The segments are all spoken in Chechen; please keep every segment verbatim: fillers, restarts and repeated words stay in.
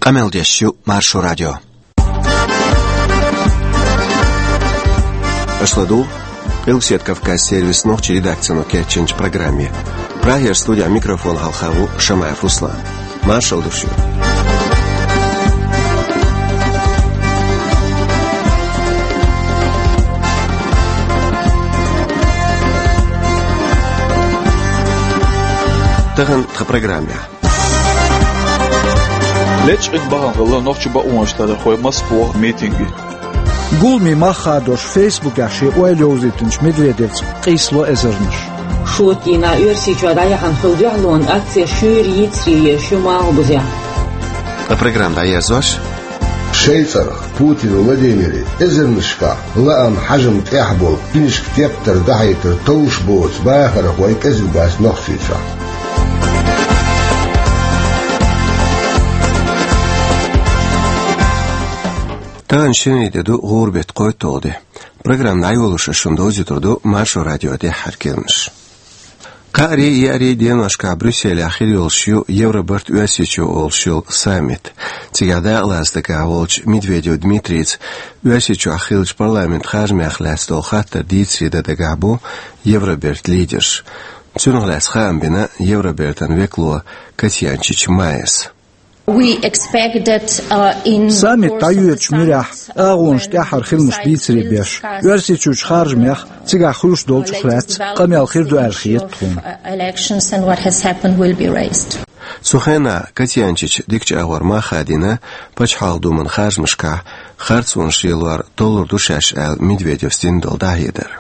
Къамел деш ю Маршо радио. Аша ладугӀу Къилбаседа Кавказ сервисан нохчийн редакцино кечйинчу программе. Прагера студехь микрофон хьалха ву Шамаев Руслан. Маршалла ду шуьга. Тахана тхан программехь. Лечкъиг бахьана хилла нохчийн бакъонаш ларъярхойн Москвахь митинге. Гуламийн мах хадош Фейсбукехь шен ойла йовзийтинчу Медведевца къийсало эзарнаш. Шуьйра Оьрсийчохь дӀаяхьна хилла дуьхьалонан акци шуьйра йийцаре езаш ю малхбузехь. Ткъа программа дӀаерзош. Швейцарехь Путин Владимира эзарнашкахь лаам хьажам тӀехь болу динашка тептар дахьийтар товш боцу бахархой кӀезиг бац Нохчийчохь. Тахана шинарин де ду, гӀуран беттан кхойтталгӀа де. Программа дӀайолош ас шуна довзуьйтур ду Маршо радион тӀаьххьара керланаш. Кхаарин, еарин деношкахь Брюсселехь хир йолуш ю Евробарт — Оьрсийчоь олуш йолу саммит. Цигахь дакъалаца дагахь волчу Медведев Дмитрийца Оьрсийчохь хиллачу парламентан харжамех лаьцна долу хаттар дийцаре дан дагахь бу Евробертан лидерш. Цунах лаьцна хаам бина Евробертан векало Катьянчич Майяс. We expect that, uh, in Саммит дӀайоьдучу муьрехь агӀонаш тӀаьххьара хиламаш дийцаре беш, Оьрсийчуьрчу харжамех, цигахь хуьлуш долчух лаьцна къамел хир ду аьлла хета тхуна. Elections and what has happened will be raised. Цу хенахь Катьянчича дикачу агӀор мах а дина, Пачхьалкхан Думан харжамашкахь харцонаш лелор толлур ду шаьш аьлла Медведевс дина долу дӀахьедар.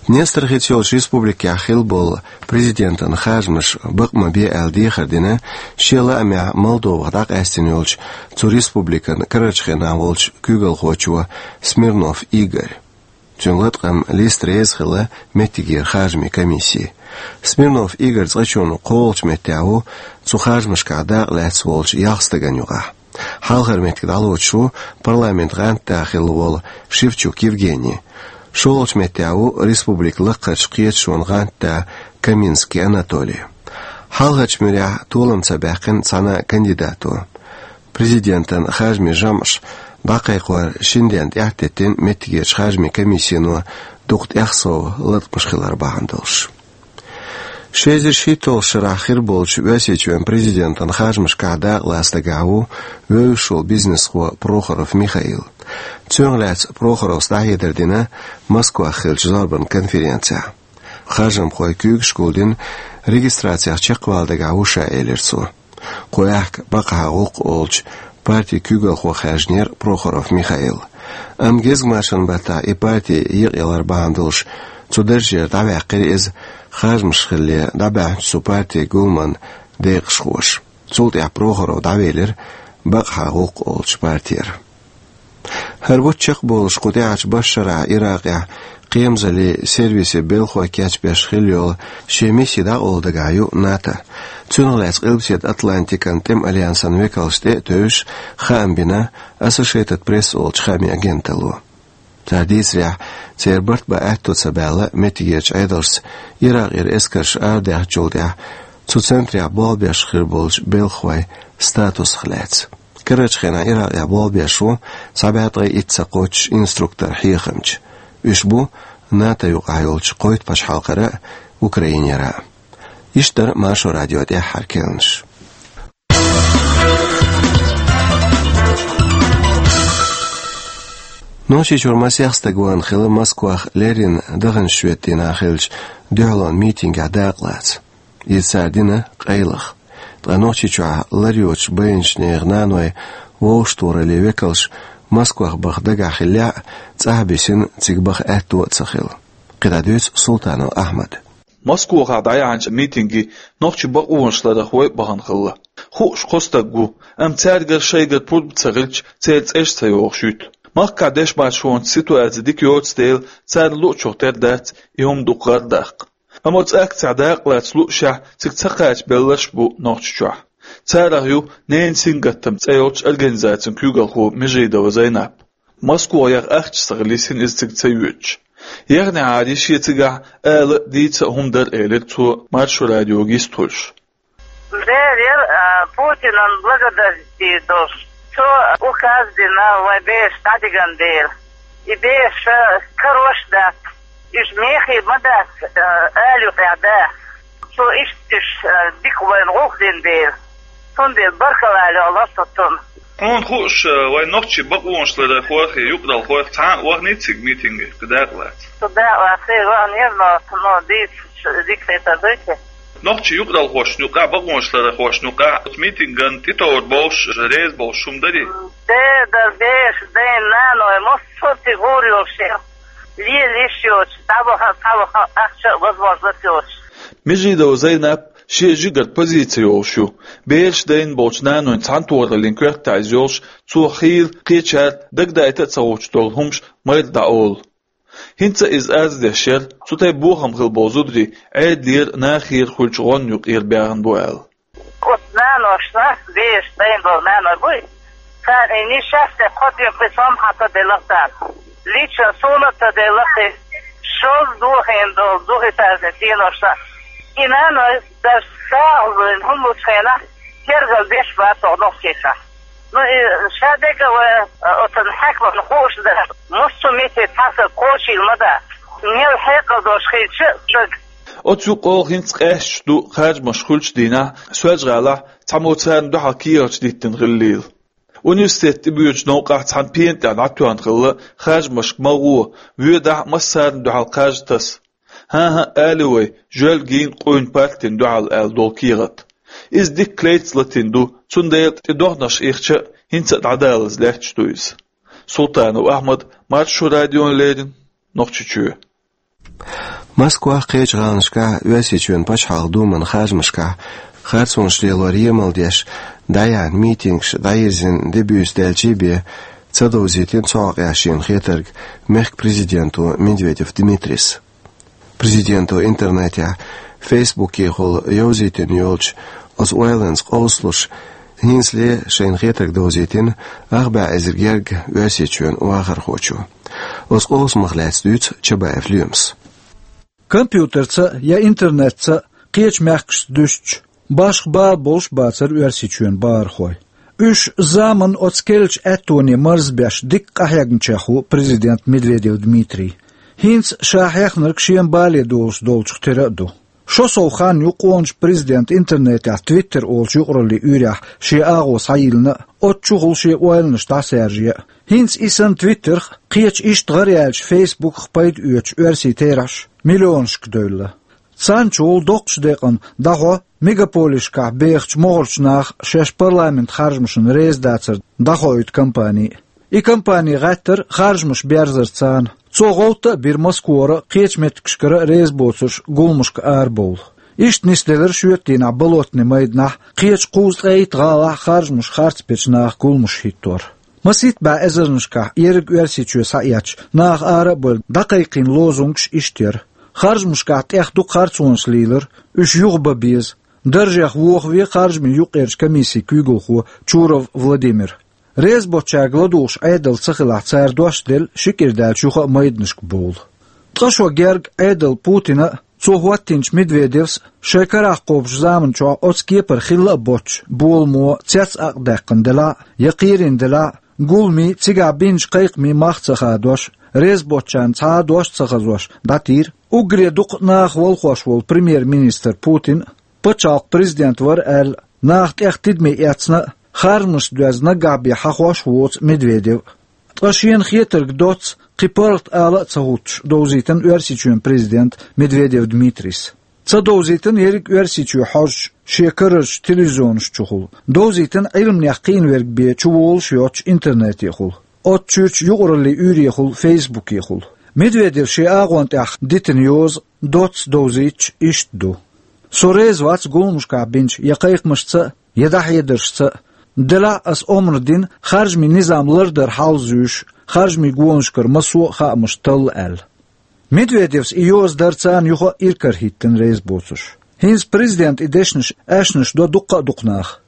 Днестр-хица йолчу республикехь хилла болу президентан харжамаш бакъ ма бе аьлла дехар дина шен лаамехь Молдовах дӀакъаьстина йолчу цу республикан карарчу хенахь волчу куьйгалхочо Смирнов Игорь. Цуьнан латкъам листа реза хилла меттигера харжамийн комисси. Смирнов Игорь цкъачунна кхоалгӀачу меттехь ву цу харжамашкахь дакъалаьцна волчу ялх стагана юкъахь. Хьалхара меттиг дӀалоцуш ву парламентан гӀантда хилла волу Шевчук Евгений. ШолгӀачу меттехь ву республикан лакхарчу кхеташонан гӀантда Каминский Анатолий. Хьалхарчу муьрехь толам ца баьккхина цхьана а кандидато. Президентан харжамийн жамӀаш дӀакхайкхор шина денна тӀаьхьатеттина меттигерчу харжамийн комиссино дукха тӀех сов латкъамаш хилар бахьана долуш. Ши эзар шийтталгӀачу шарахь хир болчу Оьрсийчоьнан президентан харжамашкахь дакъалаца дагахь ву вевзаш волу бизнесхо Прохоров Михаил. Цунах лаьцна Прохоровс дӀахьедар дина Москвахь хиллачу зорбанан конференцехь. Харжамхойн куьйгаш гулдина, регистрацех чекхвала дагахь ву ша, элира цо. Кху аьхка «Бакъахьа гӀуллакх» олучу партин куьйгалхо хаьржинера Прохоров Михаил. Амма гезгмашан баттахь и парти екъаялар бахьана долуш цу даржера дӀаваьккхира иза, харжамаш хилале дӀабаьхьначу цу партин гуламан декъашхоша. Цул тӀаьхьа Прохоров дӀавелира «Бакъахьа гӀуллакх» олучу партера. ХӀара бутт чекхболуш кху тӀаьхьарчу бархӀ шарахь Иракъехь кхерамзаллин сервисийн белхахой кечбеш хилла йолу шен мисси дӀакъовла дагахь ю НАТО. Цунах лаьцна Къилбаседа Атлантикан тӀеман альянсан векалшна тӀе а тевжаш, хаам бина Associated Press олучу хаамийн агенталло. Цара дийцарехь, церан барт бан аьтто ца баьлла меттигерчу Ӏедалшца Иракъера эскарш арадаьхначул тӀаьхьа цу центрехь болх беш хир болчу белхахойн статусах лаьцна. Карарчу хенахь Иракъехь болх беш ву цхьа бӀе ткъе итт ца кхоччуш инструктор, хьехамча. Уьш бу НАТО юкъахь йолчу кхойтта пачхьалкхара а, Украинера а. Иштта дара Маршо радион тӀаьххьара керланаш. Нохчийчуьра масех стаг вахана хилла Москвахь леррина даханчу шоьтан дийнахь хиллачу дуьхьалонан митингехь дакъалаца. Иза цара дина къайлаха. Ткъа Нохчийчохь лар йоцуш байначу нехан наной вовшахтохараллин векалш Москвахь баха дагахь хиллехь а, цӀахь а бисина, цига баха аьтто а ца хилла. КхидӀа дуьйцу Султанов Ахьмада. Москвахь дӀаяьхьначу митинге нохчийн бакъонаш ларъярхой бахана хилла. Хууш кхо стаг ву, амма цаьргара шайгара пурба ца хилча, церан цӀераш ца йохуш юьту. Махкахь дешмашонца ситуаци дика йоцу дела, царна луъучух тера дац и хӀума дукха гӀардаккха. Амма оцу акцехь дакъалаца луушшехь, цига ца кхача белларш а бу Нохчийчохь. Царах ю «Ненан сингаттам» цӀе йолчу организацин куьйгалхо Межидова Зайнап. Москвахь яха ахча ца хилла йисина иза цига ца йоьдуш. Яханехьара шен цигахь ала а, дийца а хӀума дара, элира цо Маршо радиога йист хуьлуш. Дера яра, а, Путинан благодарить долуш. Цо указ дина вайн бераш дӀадиган дела. И бераш, а, карош дац. Уьш мехий ма дац, а, ала юкъехь да. Цо иштта уьш, а, дика вайна гӀуллакх дина дела. Цундела баркалла ала йолу цунна. Хьуна хууш, а, вайн нохчийн бакъонашларъярхой, юкъаралхой цхьа а ваханий цига митинге, кхин дакъа лаца? Кхин дакъа лаца ваханера, но, но дийца дика хетар дуй те. Нохчийн юкъаралхошна юкъахь, бакъонашларъярхошна юкъахь оцу митингана тӀетовр болуш, реза болуш хӀума дарий? Де дар, бераш, дайн наной, массо а цига гӀур йолуш яра. Лела йиш йоцуш, дӀаваха а, дӀаваха а ахча а, возможность йоцуш. Межидова Зайнап шен жигара позици йолуш ю. Бераш дайна болчу нанойн цхьаьнатохараллин коьртехь иза йолуш, цо хийла кхечара дагадайта а ца хуучу долу хӀумаш майра дӀаолу. ХӀинца а иза арз деш яра, цу тайпа бохам хилла болу зударий Ӏедалера, нахера хуьлучу гӀонна юкъера баьхна бу аьлла. Оцу наношна, бераш дайна болу наной буй, царна и несчастный кхо дуьйна кхин сом хьан ца делла царна. Лично суна а ца делла кхин, шозза дохийна долу двухэтажный стеношна. И наной даже сагӀа луйна хӀума лучу хенахь, тергал деш бац оха нохчийчохь. Ну, и ша дерг а вай, а, оцунна хьаькамна хууш дара, массо а митте цхьа стаг кхочийла ма дац. Мел хьекъал долуш хилча а стаг. Оцу юкъахь хӀинца къаьсташ ду харжамаш хуьлучу дийнахь Соьлжа-ГӀалахь цхьаммо царна дуьхьал кехаташ диттина хиллийла. Университет тӀебоьдучу новкъахь цхьана пена тӀехь дӀатоьхна хилла харжамашка ма гӀо, воьдахь а массарна дуьхьал кхаж таса. ХӀан-хӀа, али вай, жоьлгин, къуьйн партина дуьхьал аьлла долу кехат. Иза дикка лайца латийна ду, цундела тӀедогӀнаш ихча а, хӀинца а дӀадалаза лаьтташ ду иза. Султанов Ахьмад, Маршо радиона леррина, Нохчийчоь. Москвахь, кхечу гӀаланашкахь, Оьрсийчоьнан пачхьалкхан думан харжамашкахь харцонаш лелор емал деш дӀаяьхьна митингаш дӀайирзина де-буьйса даьлчий бен, ца довзийтина цу хьокъехь шена хетарг мехкан президенто Медведев Дмитрийс. Президенто интернетехь, Фейсбукехула йовзийтина йолчу оцу ойланца къовсалуш, хӀинцале шайна хетарг довзийтина ах бӀе эзар гергга Оьрсийчоьнан вахархочо. Оцу къовсамах лаьцна дуьйцу Чабаев Лоьмас. Компьютерца я интернетца кхечу мехкашца дуьстича, башха бала болуш бацара Оьрсийчоьнан бахархой. Уьш заманан оцу керлачу аьттоне марзбеш дикка къахьегначех ву президент Медведев Дмитрий. ХӀинца ша хьехнарг шен бале долуш долчух тера а ду. Шо сов хан ю къоначу президента интернетехь, Twitter олучу юкъараллин уьйрехь шен агӀо схьайиллина а, оцу чухула шен ойланаш дӀасаьржа а. ХӀинца и санна Twitter-х, кхечу иштта гӀараяьллачу Фейсбуках пайда оьцучу оьрсийн терахьаш миллионашка девлла. Царна чухула доккхачу декъана дӀахьо мегаполишкахь бехачу могӀарчу наха шаьш парламентан харжамашна реза дацар дӀахоуьйту кампани. И кампани гӀаьттира харжамаш берзарца царна. Цо гӀовтта а бира Москвара а, кхечу меттигашкара а реза боцурш гуламашка арабовла. Иштта нисделира шоьтан дийнахь Болотни майданахь, кхечу кхузткъе итт гӀалахь харжамаш харцбечу наха гуламаш хӀиттор. Масийтта бӀе эзарнашкахь ерриг Оьрсийчоь схьаэцча, наха ара а бевлла, дӀакхайкхийна лозунгаш иштта яра: «Харжамашкахь тӀех дукха харцонаш лийлира, уьш юхабан беза. Даржех вохаве харжамийн юккъерчу комиссин куьйгалхо Чуров Владимир». Реза боцчаьрга ладугӀуш Ӏедал ца хилахь, цара дош делла ши кӀира даьлча юха а майданашка бовла. Ткъа шо герга Ӏедал Путина а, цо хӀоттийначу Медведевс а шайн карахь кхобучу заманчохь оцу кепара хилла а боццуш боламо цецъакъ даьккхина делахь а, я кхерийна делахь а, гуламийн, цигахь бинчу кхайкхамийн мах ца хадош, реза боцчарна цхьа а дош ца хазош дӀатийра. Уггаре дукха наха валхош волу премьер-министр Путин а, пачхьалкхан президент вара аьлла, наха тӀех тидаме эцна а, харжамашца доьзна наггахь бен хьахош а воцу Медведев. Ткъа шена хетарг доцца, кхин паргӀат ала а ца хӀуттуш, довзийтина Оьрсийчоьнан президент Медведев Дмитрийс. Ца довзийтина ерриг Оьрсийчоь хьожучу шен карарчу телевизионаш чухула. Довзийтина Ӏилманех кхиъна верг бен чуволуш а йоцучу интернетехула. Оцу чуьрчу юкъараллин уьйрехула, Фейсбукехула. Медведев шен агӀон тӀехь дитина йоза доцца довзийтича иштта ду: «Со реза вац гуламашкахь бинчу я кхайкхамашца а, я дӀахьедаршца а. Делахь а аса омра дина харжамийн низам лардар хьалха зуьйш, харжамийн гонашкара массо а хаамаш талла», — аьлла. Медведевс и йоза дарца юха а иракарахӀиттина реза боцурш. ХӀинца президентан и дешнаш аьшнаш до дуккха а дукха наха.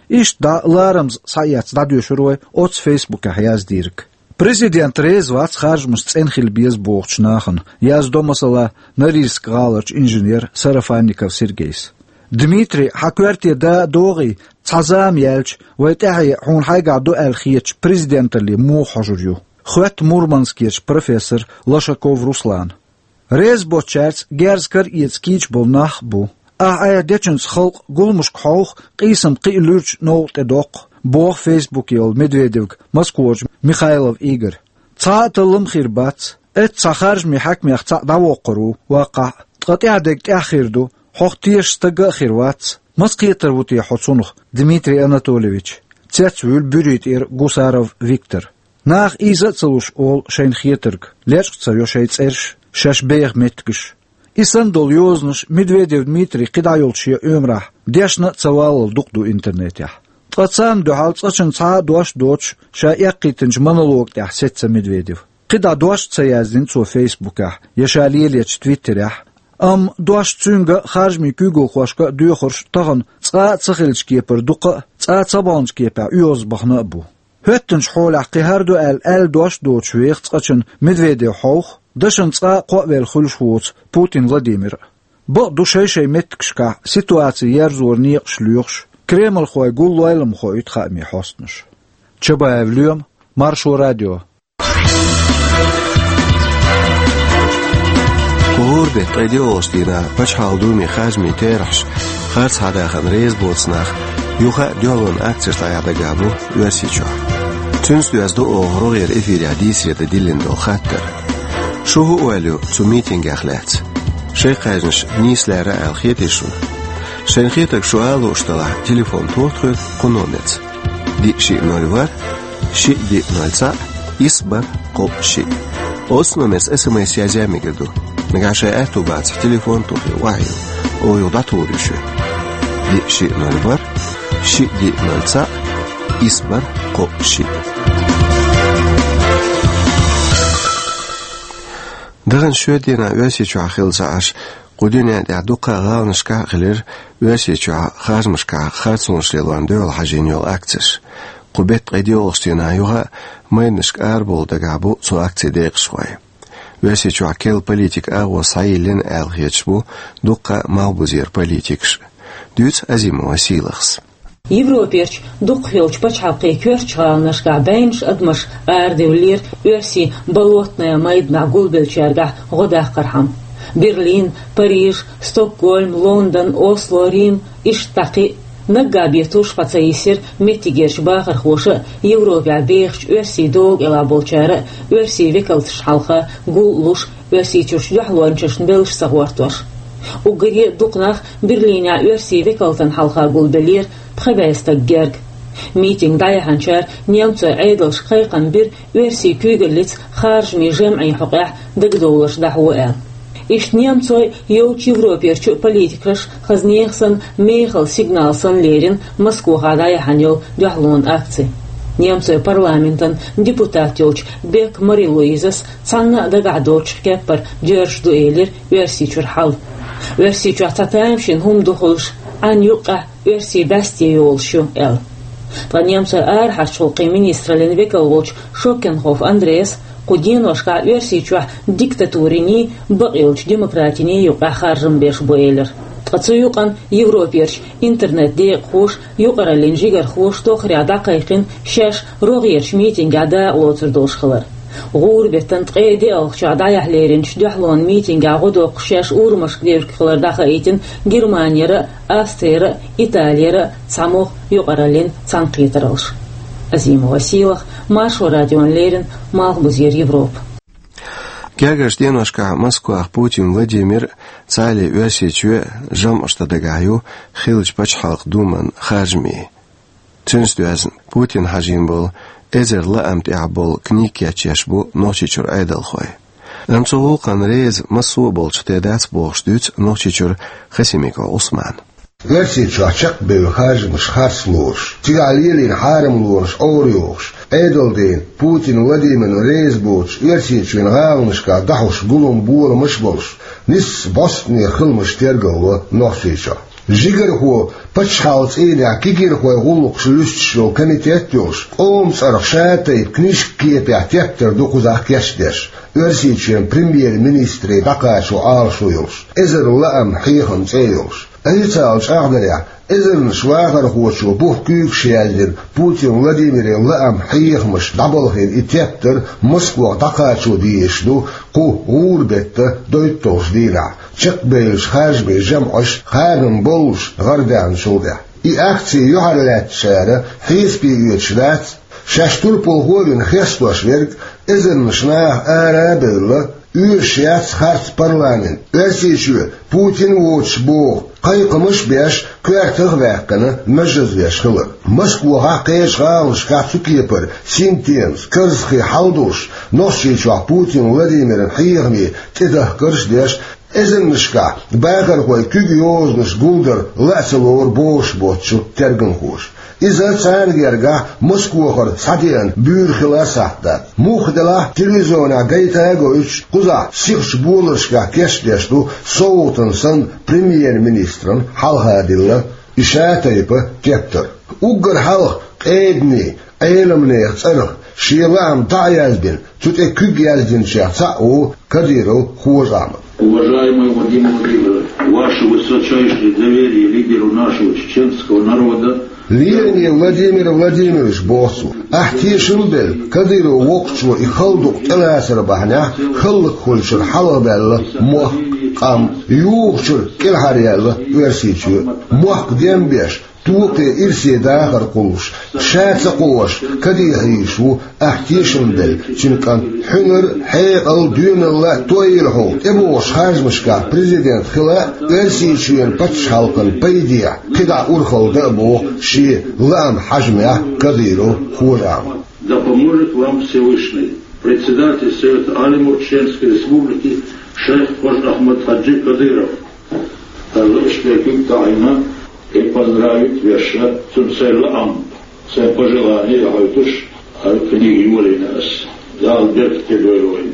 Иштта дӀа ларамаза схьаэцна дӀадоьшура вай оцу Фейсбукехь яздийриг. Президент реза вац харжамаш цӀена хила беза бохучу нахана, яздо, масала, Норильск гӀаларчу инженера Сарафанников Сергейс. Дмитрий, хьан коьрте да а догӀий, цхьа зама яьлча, вай тӀаьхье хьуна хьайгахь ду аьлла хетачу президенталле муха хьожур ю? Хоьтту Мурманскерчу профессор Лошаков Руслана. Реза боцучаьрца герз кара эца кийча болу нах а бу. Ахь айхьа дечунца халкъ гуламашка хьовха, къийсам кхин а луьрачу новкъа тӀе доккху, боху Фейсбуке йолу Медведевга Москварчу Михайлов Игора. Цхьа а таллам хир бац. Эцца цхьа харжамийн хьаькамех цхьаъ дӀавоккхур ву, ваккхахь а, ткъа тӀаьхьадерг тӀаьхьа хир ду, хьох тешаш стаг а хир вац. Маца кхетар ву те хьо цунах, Дмитрий Анатольевич? Цецвуьйлу Буьри тӀера Гусаров Виктор. Наха ийза а ца луш олу шайна хетарг, лечкъа ца йо шайн цӀерш, шаьш беха меттигаш. И санна долу йозанаш Медведев Дмитрий кхидӀа йолчу шен оьмарахь дешна а ца валлал дукха ду интернетехь. Ткъа царна дуьхьал цкъачунна цхьа а дош доцуш, ша эккхийтинчу монолога тӀехь сецна Медведев. КхидӀа дош а ца яздина цо Фейсбукехь я ша лелочу Твиттерехь. Амма дош цуьнга а, харжамийн куьйгалхошка а доьхурш тахана цкъа а ца хиллачу кепара дукха а, цкъа а ца баханчу кепехь оьгӀаз бахана а бу. ХӀоьттинчу хьолехь кхин хӀара ду аьлла, аьлла дош доцуш веха цкъачунна Медведев хьовха, дашна цкъа а кхоавелла хуьлуш воцу Путин Владимир а. Бакъ ду, шай-шайн меттигашкахь ситуаци ерзоран некъаш лоьхуш, кремльхой гул лойлам хоуьйту хаамийн хьостанаша. Чабаев Лоьма, Маршо радио. ГӀуран беттан ткъе доьалгӀачу дийнахь Пачхьалкхан Думин харжамийн терахьаш харц хьадахарна реза боцу нах юха а дуьхьалонан акцеш дӀаяхьа дагахь бу Оьрсийчохь. Цуьнца доьзна ду оха рогӀера эфирехь дийцаре дан диллина долу хаттар. Шу хӀун ойла ю цу митингех лаьцна? Шайн кхаьжнаш нийса лаьрра аьлла хетий шуна? Шайна хетарг шу ала лууш делахь, телефон тоха тхоьга кху номерца: диъ шиъ ноль ворхӀ, шиъ диъ ноль цхьаъ, исс бархӀ кхоъ шиъ. Оцу номерца СМС язъян мегар ду. Нагахь шайн аьтту бацахь, телефон а тухий, охьайилла, оха юха дӀатухур ю шуьга. Диъ шиъ ноль ворхӀ, шиъ диъ ноль цхьаъ, исс бархӀ кхоъ шиъ. Даханчу шоьтан дийнахь Оьрсийчохь хилла ца Ӏаш, кху дуьнен тӀехь дуккха а гӀаланашкахь а хилира Оьрсийчохь харжамашкахь харцонаш лелорна дуьхьал хьажийна йолу акцеш. Кху беттан ткъе доьалгӀачу дийнахь юха а майданашка арабовла дагахь бу цу акцин декъашхой. Оьрсийчохь керла политика агӀо схьайиллина аьлла хеташ бу дуккха а малхбузера политикаш. Дуьйцу Азимова Сийлахьас. Европерчу дукхахйолчу пачхьалкхийн коьртачу гӀаланашкахь бӀеннаш адамаш арадевллера оьрсийн болотная майданахь гулбеллачаьргахь гӀо даккхархьама. Берлин, Париж, Стокгольм, Лондон, Осло, Рим, иштта дӀа кхин а. Наггахь бен туьшалла ца йисира меттигерчу бахархоша а, Европехь бехачу оьрсийн догӀан кӀелахь болчара а оьрсийн векалташна хьалха гул а луш, Оьрсийчуьрчу дуьхьалончашна белш ца гӀортош. Уггаре а дукха нах Берлинехь оьрсийн векалтана хьалха гулбеллера пхи бӀе стаг герга. Митинг дӀаяьхьначара немцойн Ӏедалшка кхайкхам бира оьрсийн куьйгаллица харжамийн жамӀийн хьокъехь дагадовларш дӀахьо аьлла. Иштта немцойн а, йолчу Европерчу а политикаша хаза нехан санна мехала сигнал санна лерина Москвахь дӀаяьхьна йолу дуьхьалонан акци. Немцойн парламентан депутат йолчу Бек Мари-Луизас цхьанна а дагахь доцчух кеппара доьрзуш ду элира Оьрсийчуьра хьал. Оьрсийчохь цхьа тамашийна хӀума ду хуьлуш, Ӏан юккъехь оьрсийн бӀаьсте йолуш ю аьлла. Ткъа немцойн арахьарчу гӀуллакхийн министраллин векал волчу Шоккенхоф Андреас кху деношкахь Оьрсийчохь диктатуриний, бакъйолчу демократиний юккъехь харжам беш бу элира. Ткъа цу юкъана Европерчу интернет-декъахоша, юкъараллин жигархоша тохарехь дӀакхайкхина шаьш рогӀерчу митингехь дакъа лоцур долуш хилар. ГӀуран беттан ткъе доьалгӀачохь дӀаяхьа леринчу дуьхьалонан митингехь гӀо доккхуш шаьш урамашка девлла хилар дӀахаийтина Германера а, Австрера а, Италера а цхьамогӀа юкъараллин цхьаьнакхетараллаш. Азимова Сийлахь, Маршо радиона леррина, Малхбузера Европа. Гергарчу деношкахь Москвахь Путин Владимир а, цхьаьна Оьрсийчоь а жамӀаш дан дагахь ю хиллачу пачхьалкхан Думан харжамийн. Цуьнца доьзна Путина хьажийна болу эзар лаам тӀехь болу книга кечъеш бу Нохчийчуьра Ӏедалхой. Амма цу гӀуллакхна реза массо а болчух тӀе дац бохуш дуьйцу Нохчийчуьра Хасимиков Ӏусмана. Оьрсийчохь чекхбевлла харжамаш харц лоруш, цигахь лелийна хьарамлонаш Ӏорайохуш, Ӏедал дина, Путин Владимирна реза боцуш, Оьрсийчоьнан гӀаланашкахь дӀахьош гулам-боламаш а болуш, нисса бӀостанера хиламаш тергалло Нохчийчохь. Жигархо пачхьалкхан цӀийнехь кегирхойн гӀуллакхаш луьстуш йолу комитет а йолуш, къоман цӀарах шатайпа книжка кепехь тептар ду кхузахь кечдеш, Оьрсийчоьнан премьер-министрийн дӀакхачо Ӏалашо йолуш, эзар лаам хьехам цӀе йолуш. Официалан чӀагӀдарехь, эзарнаш вахархочо бух куьйгаш яздина Путин Владимиран лаам хьехамаш дӀабалхийна и тептар Москвах дӀакхачо дезаш ду кху гӀуран беттан дойталгӀачу дийнахь, чекхбевллачу харжамийн жамӀаш кхабан боллуш гӀарадаьхначул тӀаьхьа. И акци юьхьарлаьцначара хьесапе оьцуш дац, шаьш турпалхо а вина хестош верг эзарнаш наха ара а бевлла, оьшуш яц харц парламент. Оьрсийчоь Путин воцуш боху кхайкхамаш а беш, коьртах а ваьккхина, межаза веш хилар. Москвахь а, кхечу гӀаланашкахь а цу кепара синтемца, карзахе хьал долуш, Нохчийчохь Путин Владимиран хьехаме тӀедахкарш а деш, эзарнашкахь бахархойн куьг йозанаш гулдар ла а ца лору бозуш боцучу тергамхоша. Иза царна гергахь Москвахара схьадеана буьйра хила а сахьт дац. Муха делахь а, телевизионехь гайта а гойтуш, кхузахь сихачу боларшкахь кечдеш ду совгӀатана санна премьер-министрна хьалха дилла и шатайпа тептар. Уггар хьалха къеданийн, Ӏеламнехан цӀарах шен лаам дӀа а яздина, цу тӀе куьг яздинчех цхьаъ ву Кадыров Хож-Ахьмад. Уважаемый Владимир Владимирович, ваше высочайшее доверие лидеру нашего чеченского народа. Лераме Владимир Владимирович, боху цо, ахь тешам а белла, Кадыров воккхачо и хала дукъ тӀелацар бахьанехь хӀаллакьхуьлучуьра хьалхабаьлла мохк, къам, юхучуьра кӀелхьараяьлла Оьрсийчоь. Мохк дем беш, токхе, ирсе дахар кхуллуш, ша ца кхоош, кадехьа йийш ву, ахь тешам белла, цуьнан кӀант. Хьуьнар, хьекъал, доьналла а тойийла хьуна, тӀебогӀучу харжамашкахь президент хила а, Оьрсийчоьнан пачхьалкхан пайдехь кхидӀа урхалла дан а боху шен лааман хьежамехь Кадыров Хож-Ахьмад. Да поможет вам Всевышний. Председатель Совета Алимов Чеченской Республики шейх Хож-Ахмад Хаджи Кадыров. Хьажа иштта куьг таӀийна, и поздравить веш, цунна сайн лаам, сайн пожелание а хойтуш, хӀара книга йолийна ас. Дала беркате дойла вайна.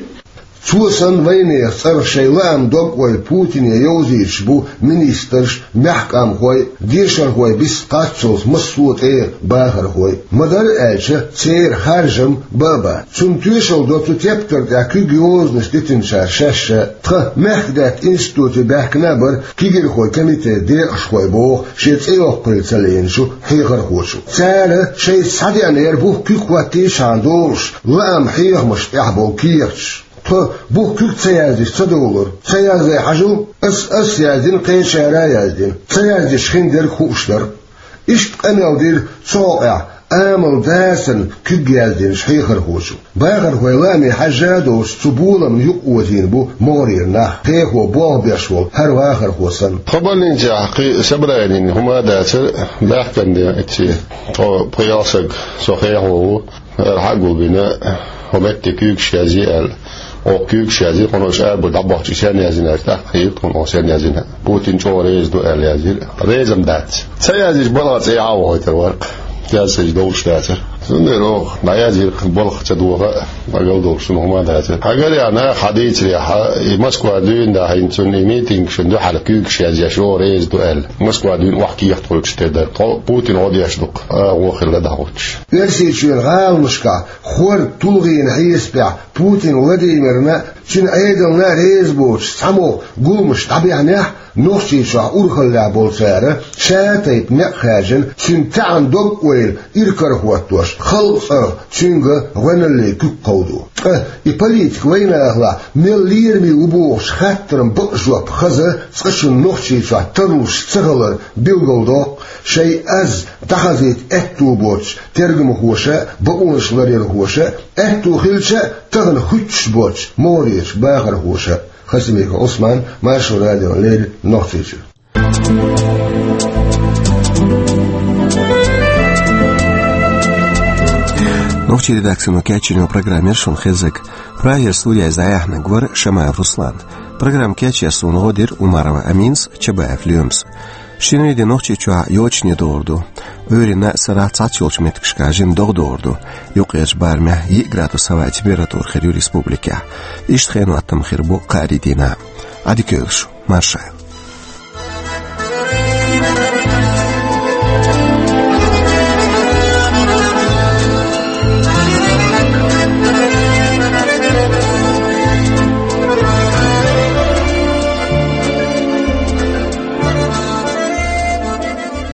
Цо санна, вайнехан цӀарах шайн лаам дог-ойла Путине йовзуьйтуш бу министрш, мехкан къамхой, дешархой, бист-кхаччалц массо а тӀера бахархой. Ма-дарра аьлча, церан харжам бан а бац. Цунна тоьшалла до цу тептар тӀехь куьг йозанаш дитинчара шаьш а. Тхан мехкдаьтта институте баьхкина а бара кегийрхойн комитетан декъашхой, боху шен цӀе йоккхийла ца лиъначу хьехархочо. Цара шайца схьадеанера бух куьг хӀоттийчхьана долуш лааман хьехамашна тӀехь болу кехаташ. Тхо бух куьг ца яздича ца довлура. Ца яздай хьажал, ас, ас яздина, кхечара а яздина. Ца яздича хиндерг хууш дара. Иштта къамел дира цу хьокъехь амал дацарна куьг яздинчу хьехархочо. Бахархойн лааме хьаьжжа а доцуш, цу боламна юкъаозийна бу могӀарера нах, кхехо болх беш волу хӀара вахархо санна. Тхан больницехь кхин собранина хӀума а дацара, баьхкина ден эцци, тхо пхи-ялх саг, со хехо ву, ара хьа а гулбина, хӀокху метте куьйгаш язъе аьлла. Оха куьйгаш язйира, хьуна аша арабур дӀабохча, и сенна язйина аьлла, тӀаккха хийра тхуна оха сенна язйина. Путин чӀогӀа реза ду аьлла язйира. Реза-м дац. Ца язйича, балха цӀе а вохуьйтура вара. Язйича довш дацара. Цундела оха дӀаязйира, балха ца доха а, дӀагала долуш цунна хӀума а дацара. Хьагарехь, наха хьадийцарехь, и Москва дуьйна дахьийна цунна и митингашна дуьхьал куьйгаш язъеш, чӀогӀа реза ду аьлла. Москва дуьйна охьакехат хуьлуш тера дара. Тхо Путин гӀо деш ду-кх, агӀо хилла дӀахӀуттуш. Оьрсийчоьнан гӀаланашкахь хӀордан тулгӀенан хьесапехь Путин Владимирна а, цуьнан Ӏедална а реза боцуш цхьамогӀа гуламаш дӀабаьхьнехь, Нохчийчохь урхаллехь болчара ша-тайпа некъ хаьржина, цуьнан таьӀна дог-ойла иракарахӀоттош, халкъан цӀарах цуьнга гӀоьналле куьг кховдо. Ткъа и политик вайнахалахь мел лераме ву бохучу хаттарна бакъ жоп хаза цкъачунна Нохчийчохь тарлуш ца хилар билгалдоккху шайн аз дӀахазийта аьтто боцучу тергамхоша а, бакъонаш ларъярхоша а, аьтто хилча а, тахана хуьттуш боцучу могӀарерчу бахархоша а. Хасимиков Ӏусман, Маршо радиона леррина, Нохчийчуьра. Нохчийн редакцино кечйина программа яра шуна хезнарг. Прагера студиехь дӀаяьхьнарг вара Шамаев Руслан. Программа кечъеш суна гӀо дира Умарова Аминас, Чабаев Лоьмас. Шинарин де Нохчийчохь йочане догӀур ду. Ӏуьйранна а, сарахь а цхьацца йолчу меттигашкахь жимма догӀа догӀур ду. Юккъерчу барамехь йиъ градус хӀаваан температура хир ю республикехь. Иштта хенан хӀоттам хир бу кхаарин дийнахь. Ӏадика йойла шу, маршалла.